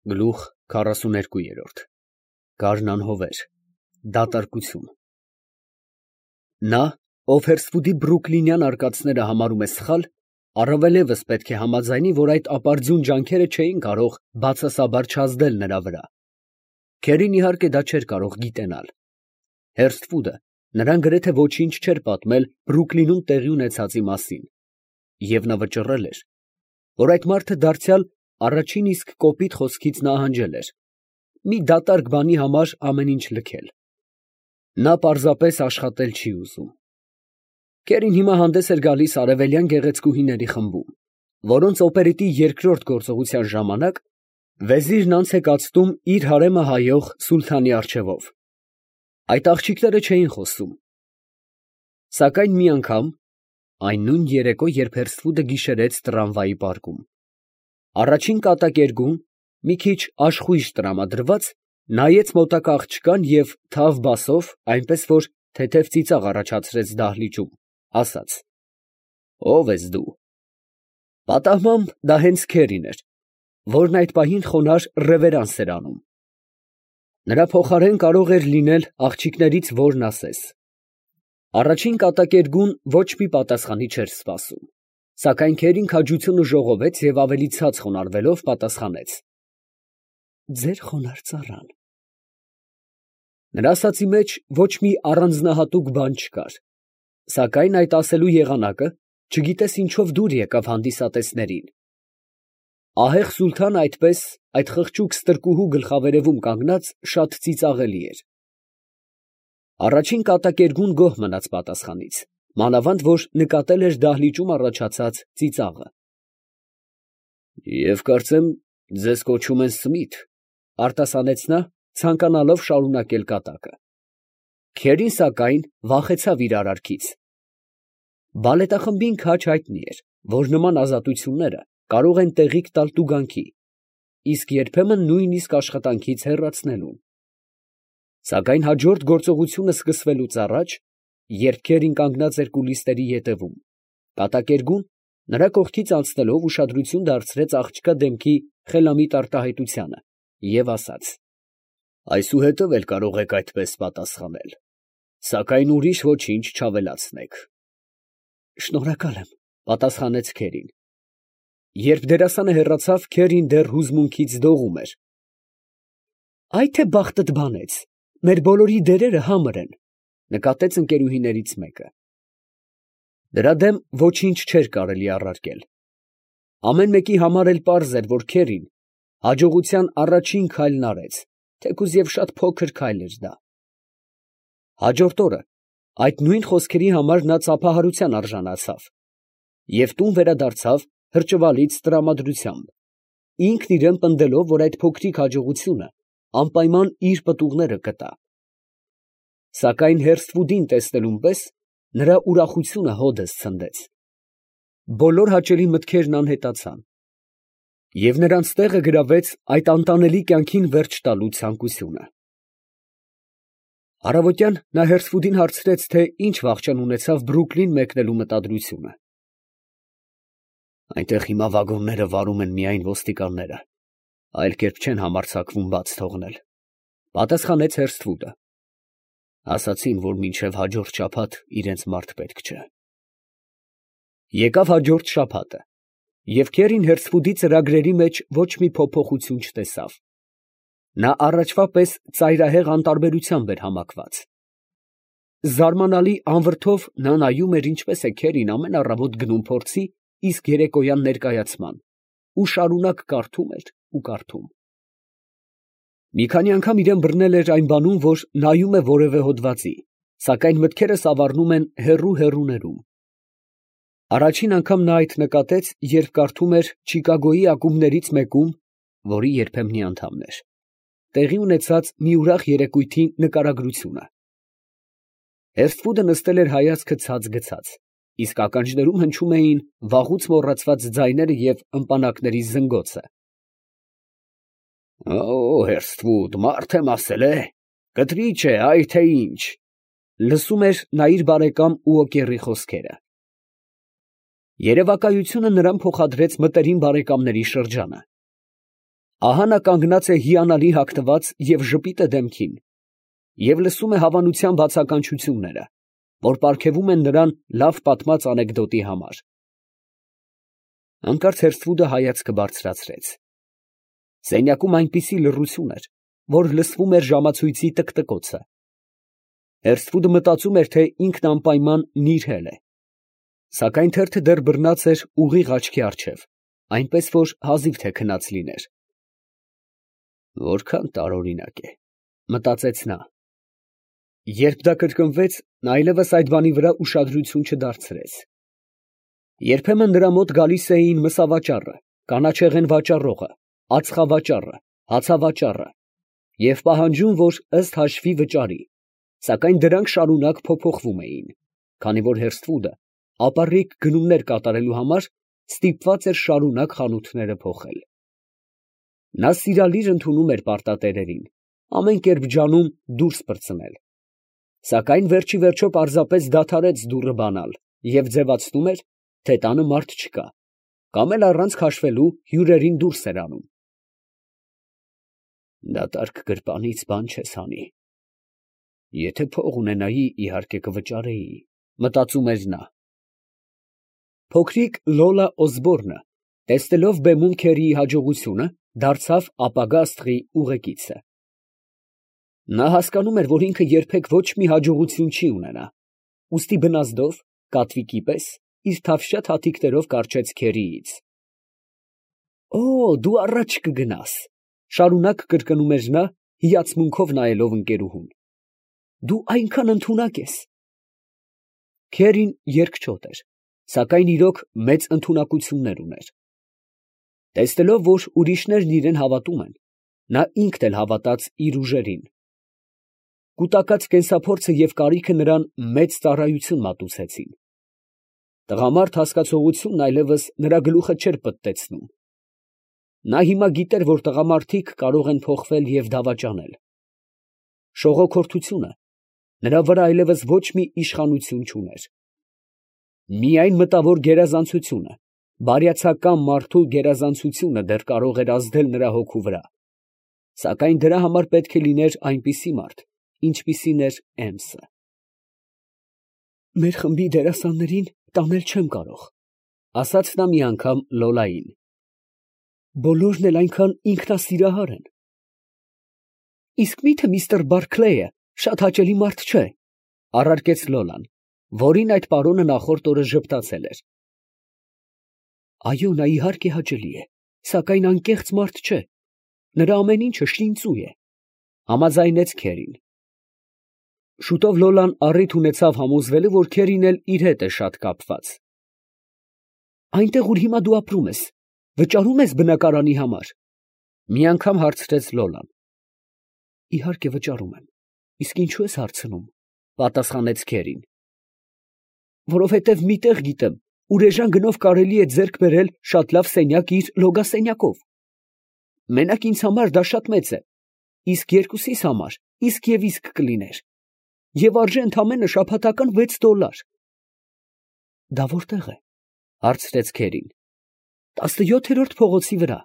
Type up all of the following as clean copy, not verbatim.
Գլուխ 42 Գարնան անհովեր, դատարկություն։ Նա, ով Հերսֆուդի բրուկլինյան արկածները համարում է սխալ, առավել ևս պետք է համաձայնի, որ այդ ապարդյուն ջանքերը չէին կարող բացասաբար չազդել նրա վրա։ Քերին իհարկե դա չէր կարող գիտենալ։ Հերսֆուդը նրան գրեթե ոչինչ չէր պատմել Բրուկլինում տեղի ունեցածի մասին, և նա վճռել էր, որ այդ մարդը դարձյալ առաջին իսկ կոպիտ խոսքից նահանջել էր, մի դատարկ բանի համար ամեն ինչ լքել։ Նա պարզապես աշխատել չի ուզում։ Քերին հիմա հանդես էր գալիս արևելյան գեղեցկուհիների խմբում, որոնց օպերետի երկրորդ գործողության ժամանակ վեզիրն անց է կացնում իր հարեմը հայող սուլթանի առջևով։ Այդ աղջիկները չէին խոսում։ Սակայն մի անգամ, այն նույն երեկո, երբ Հերսֆուդը գիշերեց տրամվայի պարկում, առաջին կատակերգում, մի քիչ աշխույժ տրամադրված, նայեց մոտակա աղջկան և թավ բասով, այնպես որ թեթև ծիծաղ առաջացրեց դահլիճում, ասաց. «Ո՞վ ես դու»։ Պատահմամբ դա հենց Քերին էր, որն այդ պահին խոնարհ ռևերանս էր անում։ Նրա փոխարեն կարող էր լինել աղջիկներից որն ասես։ Առաջին կատակերգուն ոչ մի պատասխանի չէր սպասում, սակայն Քերին քաջությունը ժողովեց և ավելի ցած խոնարհվելով պատասխանեց. «Ձեր խոնարհ ծառան»։ Նրա ասածի մեջ ոչ մի առանձնահատուկ բան չկար, սակայն այդ ասելու եղանակը չգիտես ինչով դուր եկավ հանդիսատեսներին։ Ահեղ սուլթանը այդպես, այդ խղճուկ ստրկուհու գլխավերևում կանգնած, շատ ծիծաղելի էր։ Առաջին կատակերգուն գոհ մնաց պատասխանից, մանավանդ որ նկատել էր դահլիճում առաջացած ծիծաղը։ «Եվ կարծեմ, ձեզ կոչում են Սմիթ», արտասանեց նա, ցանկանալով շարունակել կատակը։ Քերին, սակայն, վախեցավ իր արարքից։ Բալետախմբին քաջ հայտնի էր, որ նման ազատությունները կարող են տեղիք տալ տուգանքի, իսկ երբեմն նույնիսկ աշխատանքից հեռացնելուն։ Սակայն հաջորդ գործողությունը սկսվելուց առաջ, երբ Քերին կանգնած էր կուլիսների ետևում, կատակերգուն, նրա կողքից անցնելով ուշադրություն դարձրեց աղջկա դեմքի խելամիտ արտահայտությանը և ասաց. «Այսուհետև էլ կարող եք այդպես պատասխանել, սակայն ուրիշ ոչինչ չավելացնեք»։ «Շնորհակալ եմ», պատասխանեց Քերին։ Երբ դերասանը հեռացավ, Քերին դեռ հուզմունքից դողում էր։ «Այ թե բախտդ բանեց, մեր բոլորի դերերը համր են», նկատեց ընկերուհիներից մեկը։ Դրա դեմ ոչինչ չէր կարելի առարկել։ Ամեն մեկի համար էլ պարզ էր, որ Քերին հաջողության առաջին քայլն արեց, թեկուզ և շատ փոքր քայլ էր դա։ Հաջորդ օրը այդ նույն խոսքերի համար նա ծափահարության արժանացավ և տուն վերադարձավ հրճվալից տրամադրությամբ, ինքն իրան պնդելով, որ այդ փոքրիկ հաջողությունը անպայման իր պտուղները կտա։ Սակայն Հերսֆուդին տեսնելուն պես նրա ուրախությունը հօդս ցնդեց։ Բոլոր հաճելի մտքերն անհետացան, և նրանց տեղը գրավեց այդ անտանելի կյանքին վերջ տալու ցանկությունը։ Առավոտյան նա Հերսֆուդին հարցրեց, թե ինչ վախճան ունեցավ Բրուկլին մեկնելու մտադրությունը։ «Այնտեղ հիմա վագոնները վարում են միայն ոստիկանները, այլ կերպ չեն համարձակվում բաց թողնել», պատասխանեց Հերսֆուդը։ «Ասացին, որ մինչև հաջորդ շաբաթ իրենց մարդ պետք չէ»։ Եկավ հաջորդ շաբաթը, և Քերին Հերսֆուդի ծրագրերի մեջ ոչ մի փոփոխություն չտեսավ։ Նա առաջվա պես ծայրահեղ անտարբերությամբ էր համակված։ Զարմանալի անվրդով նա նայում էր, ինչպես է Քերին ամեն առավոտ գնում փորձի, իսկ երեկոյան ներկայացման, ու շարունակ կարդում էր ու կարդում։ Մի քանի անգամ իրան բռնել էր այն բանում, որ նայում է որևէ հոդվածի, սակայն մտքերը սավառնում են հեռու֊հեռուներում։ Առաջին անգամ նա այդ նկատեց, երբ կարդում էր Չիկագոյի ակումբներից մեկում, որի երբեմնի անդամն էր, տեղի ունեցած մի ուրախ երեկույթի նկարագրությունը։ Հերսֆուդը նստել էր հայացքը ցած գցած, իսկ ականջներում հնչում էին վաղուց մոռացված ձայները և ըմպանակների զնգոցը։ «Օ՜, Հերսֆուդ, մարդ եմ ասել, կտրիչ է, այ թե ինչ», լսում էր նա իր բարեկամ Ուոկերի խոսքերը։ Երևակայությունը նրան փոխադրեց մտերիմ բարեկամների շրջանը։ Ահա նա կանգնած է հիանալի հագնված և ժպիտ է դեմքին, և լսում է հավանության բացականչությունները, որ պարգևում են նրան լավ պատմած անեկդոտի համար։ Հանկարծ Հերստրուդը հայացքը բարձրացրեց. սենյակում այնպիսի լռություն էր, որ լսվում էր ժամացույցի տկտկոցը։ Հերստրուդը մտածում էր, թե ինքն անպայման նիրհել է, սակայն թերթը դեռ բռնած էր ուղիղ աչքի առջև, այնպես որ հազիվ թե քնած լիներ։ Որքան տարօրինակ է, մտածեց նա։ Երբ դա կրկնվեց, նա այլևս այդ բանի վրա ուշադրություն չդարձրեց։ Երբեմն նրա մոտ գալիս էին մսավաճառը, կանաչեղեն վաճառողը, ածխավաճառը, հացավաճառը և պահանջում, որ ըստ հաշվի վճարի, սակայն դրանք շարունակ փոփոխվում էին, քանի որ Հերստրուդը ապառիկ գնումներ կատարելու համար ստիպված էր շարունակ խանութները փոխել։ Նա սիրալիր ընդունում էր պարտատերերին, ամեն կերպ ջանում դուրս պրծնել, սակայն վերջիվերջո պարզապես դադարեց դուռը բանալ և ձևացնում էր, թե տանը մարդ չկա, կամ էլ առանց քաշվելու հյուրերին դուրս էր անում։ Դատարկ գրպանից բան չես հանի։ Եթե փող ունենայի, իհարկե կվճարեի, մտածում էր նա։ Փոքրիկ Լոլա Օսբորնը, տեսնելով բեմում Քերիի հաջողությունը, դարձավ ապագա աստղի ուղեկիցը։ Նա հասկանում էր, որ ինքը երբեք ոչ մի հաջողություն չի ունենա, ուստի բնազդով, կատվիկի պես, իր թավշյա թաթիկներով կառչեց Քերիից։ «Օ, դու առաջ կգնաս», շարունակ կրկնում էր նա, հիացմունքով նայելով ընկերուհուն։ «Դու այնքան ընդունակ ես»։ Քերին երկչոտ էր, սակայն իրոք մեծ ընդունակություններ ուներ։ Տեսնելով, որ ուրիշներն իրեն հավատում են, նա ինքն էլ հավատաց իր ուժերին։ Կուտակած կենսափորձը և կարիքը նրան մեծ ծառայություն մատուցեցին։ Տղամարդ հասկացողությունն այլևս նրա գլուխը չէր պտտեցնում։ Նա հիմա գիտեր, որ տղամարդիկ կարող են փոխվել և դավաճանել։ Շողոքորթությունը նրա վրա այլևս ոչ մի իշխանություն չուներ։ Միայն մտավոր գերազանցությունը, բարյացակամ մարդու գերազանցությունը դեռ կարող էր ազդել նրա հոգու վրա, սակայն դրա համար պետք է լիներ այնպիսի մարդ, ինչպիսին էր Էմսը։ «Մեր խմբի դերասաններին տանել չեմ կարող», ֊ ասաց նա մի անգամ Լոլային։ «Բոլորն էլ այնքան ինքնասիրահար են»։ «Իսկ մի՞թե միստր Բարքլեյը շատ հաճելի մարդ չէ», ֊ առարկեց Լոլան, որին այդ պարոնը նախորդ օրը ժպտացել էր։ «Այո, նա իհարկե հաճելի է, սակայն անկեղծ մարդ չէ, նրա ամեն ինչը շինծու է», ֊ համաձայնեց Քերին։ Շուտով Լոլան առիթ ունեցավ համոզվելու, որ Քերին էլ իր հետ է շատ կապված։ «Այնտեղ, ուր հիմա դու ապրում ես, վճարում ես բնակարանի համար», ֊ մի անգամ հարցրեց Լոլան։ «Իհարկե վճարում եմ, իսկ ինչու ես հարցնում», ֊ պատասխանեց Քերին։ «Որովհետև մի տեղ գիտեմ, ուր էժան գնով կարելի է ձեռք բերել շատ լավ սենյակ իր լոգասենյակով։ Մենակ ինձ համար դա շատ մեծ է, իսկ երկուսիս համար իսկ և իսկ կլիներ, և արժե ընդամենը շաբաթական $6։ «Դա որտե՞ղ է», ֊ հարցրեց Քերին։ «17-րդ փողոցի վրա»։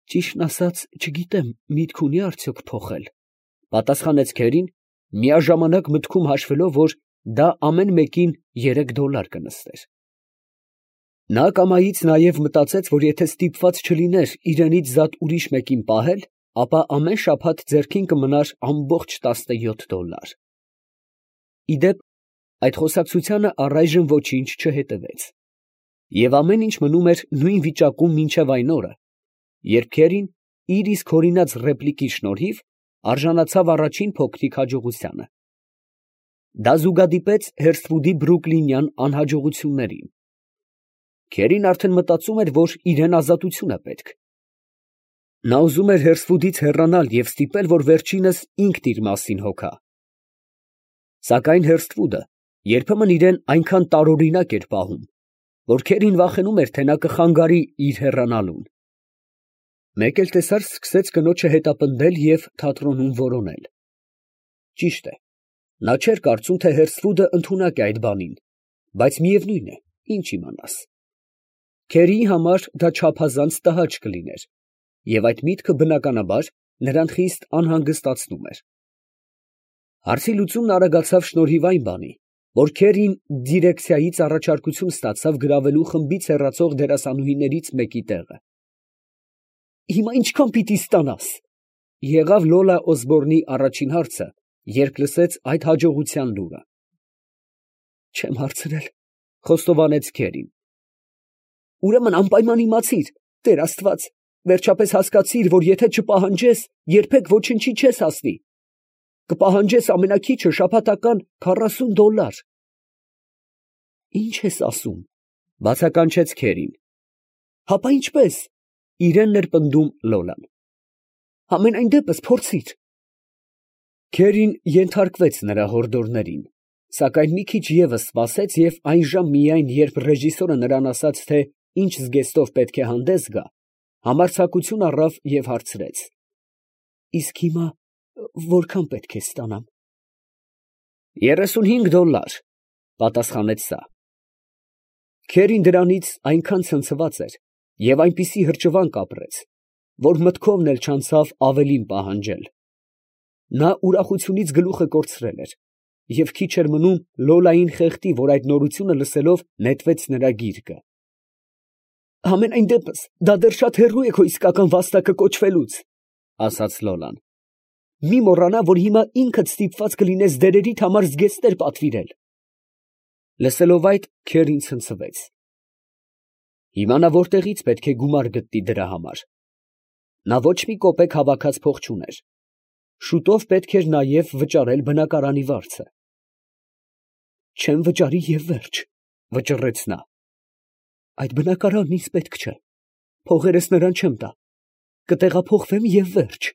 «Ճիշտն ասած, չգիտեմ միտք ունի՞ արդյոք փոխել», ֊ պատասխանեց Քերին, միաժամանակ մտքում հաշվելով, որ դա ամեն մեկին $3 կնստեր։ Նա կամայից նաև մտածեց, որ եթե ստիպված չլիներ իրենից զատ ուրիշ մեկին պահել, ապա ամեն շաբաթ ձեռքին կմնար ամբողջ $17։ Ի դեպ, այդ խոսակցությանը առայժմ ոչինչ չհետևեց, և ամեն ինչ մնում էր նույն վիճակում մինչև այն օրը, երբ Քերին իր իսկ հորինած ռեպլիկի շնորհիվ արժանացավ առաջին փոքրիկ հաջողությանը։ Դա զուգադիպեց Հերստրուդի բրուկլինյան անհաջողություններին։ Քերին արդեն մտածում էր, որ իրան ազատություն է պետք։ Նա ուզում էր Հերստրուդից հեռանալ և ստիպել, որ վերջինս ինքն իր մասին հոգա։ Սակայն Հերստրուդը երբեմն իրան այնքան տարօրինակ էր պահում, որ Քերին վախենում էր, թե նա կխանգարի իր հեռանալուն։ Մեկ էլ տեսար սկսեց կնոջը հետապնդել և թատրոնում որոնել։ Ճիշտ է, նա չէր կարծում, թե Հերստրուդը ընդունակ է այդ բանին, բայց միևնույն է, ինչ իմանաս։ Քերիի համար դա չափազանց տհաճ կլիներ, և այդ միտքը բնականաբար նրան խիստ անհանգստացնում էր։ Հարցի լուծումն արագացավ շնորհիվ այն բանի, որ Քերին դիրեկցիայից առաջարկություն ստացավ գրավելու խմբից հեռացող դերասանուհիներից մեկի տեղը։ «Հիմա ինչքան պիտի ստանաս» եղավ Լոլա Օսբորնի առաջին հարցը, երբ լսեց այդ հաջողության լուրը։ «Չեմ հարցրել», խոստովանեց Քերին։ «Ուրեմն անպայման իմացիր, Տեր Աստված, վերջապես հասկացիր, որ եթե չպահանջես, երբեք ոչնչի չես հասնի։ Կպահանջես ամենաքիչը շաբաթական $40։ Ի՞նչ ես ասում», բացականչեց Քերին։ «Հապա ինչպես», իրենն էր պնդում Լոլան։ «Համենայն դեպս փորձիր»։ Քերին ենթարկվեց նրա հորդորներին, սակայն մի քիչ ևս սպասեց և այնժամ միայն, երբ ռեժիսորը նրան ասաց, թե ինչ զգեստով պետք է հանդես գա, համարձակություն առավ և հարցրեց. «Իսկ հիմա որքան պետք է ստանամ»։ $35, պատասխանեց սա։ Քերին դրանից այնքան ցնցված էր և այնպիսի հրճվանք ապրեց, որ մտքովն էլ չանցավ ավելին պահանջել։ Նա ուրախությունից գլուխը կորցրել էր, և քիչ էր մնում Լոլային խեղդի, որ այդ նորությունը լսելով նետվեց նրա գիրկը։ «Համենայն դեպս դա դեռ շատ հեռու է քո իսկական վաստակը կոչվելուց», ասաց Լոլան։ «Մի մոռանա, որ հիմա ինքդ ստիպված կլինես դերերիդ համար զգեստներ պատվիրել»։ Լսելով այդ, Քերին ցնցվեց։ Հիմա նա որտեղից պետք է գումար գտնի դրա համար։ Նա ոչ մի կոպեկ հավաքած փող չուներ։ Շուտով պետք էր նաև վճարել բնակարանի վարձը։ «Չեմ վճարի և վերջ», վճռեց նա։ «Այդ բնակարանն ինձ պետք չէ, փողերս նրան չեմ տա, կտեղափոխվեմ և վերջ»։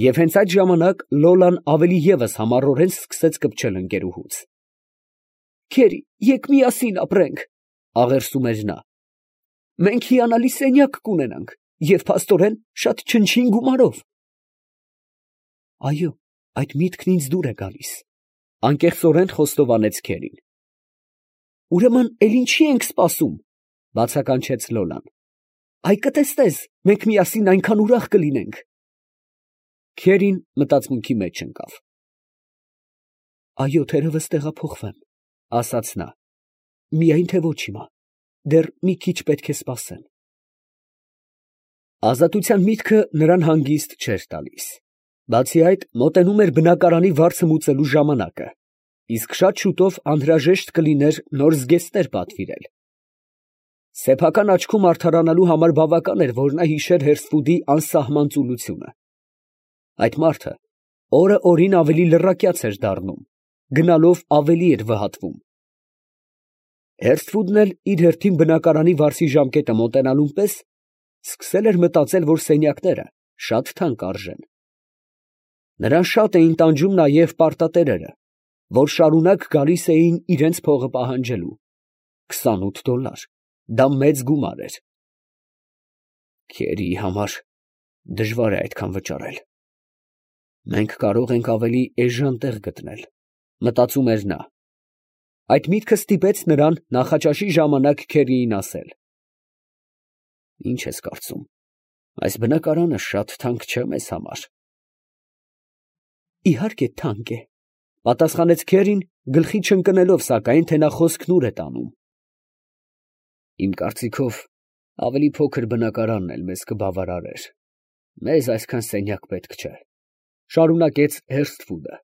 Եվ հենց այդ ժամանակ Լոլան ավելի ևս համառորեն սկսեց կպչել ընկերուհուց։ «Քերի, եկ միասին ապրենք», աղերսում էր նա։ «Մենք հիանալի սենյակ կունենանք և փաստորեն շատ չնչին գումարով»։ «Այո, այդ միտքն ինձ դուր է գալիս», անկեղծորեն խոստովանեց Քերին։ «Ուրեմն էլ ինչի ենք սպասում», բացականչեց Լոլան։ «Այ կտեսնես, մենք միասին այնքան ուրախ կլինենք»։ Քերին մտածմունքի մեջ ընկավ։ «Այո, թերևս տեղափոխվեմ», ասաց նա։ «Միայն թե ոչ հիմա, դեռ մի քիչ պետք է սպասեմ»։ Ազատության միտքը նրան հանգիստ չէր տալիս։ Բացի այդ, մոտենում էր բնակարանի վարձը մուծելու ժամանակը, իսկ շատ շուտով անհրաժեշտ կլիներ նոր զգեստներ պատվիրել։ Սեփական աչքում արդարանալու համար բավական էր, որ նա հիշեր Հերսֆուդի անսահման ծուլությունը։ Այդ մարդը օրը օրին ավելի լռակյաց էր դառնում, գնալով ավելի էր վհատվում։ Հերսֆուդն էլ իր հերթին բնակարանի վարձի ժամկետը մոտենալուն պես սկսել էր մտածել, որ սենյակները շատ թանկ արժեն։ Նրան շատ էին տանջում նաև պարտատերերը, որ շարունակ գալիս էին իրենց փողը պահանջելու։ $28, դա մեծ գումար էր։ Քերիի համար դժվար է այդքան վճարել։ Մենք կարող ենք ավելի էժան տեղ գտնել, մտածում էր նա։ Այդ միտքը ստիպեց նրան նախաճաշի ժամանակ Քերիին ասել. «Ինչ ես կարծում, այս բնակարանը շատ թանկ չէ մեզ համար»։ «Իհարկե թանկ է», պատասխանեց Քերին, գլխի չընկնելով սակայն, թե նա խոսքն ուր է տանում։ «Իմ կարծիքով, ավելի փոքր բնակարանն էլ մեզ կբավարարեր։ Մեզ այսքան սենյակ պետք չէ», շարունակեց Հերսթվուդը։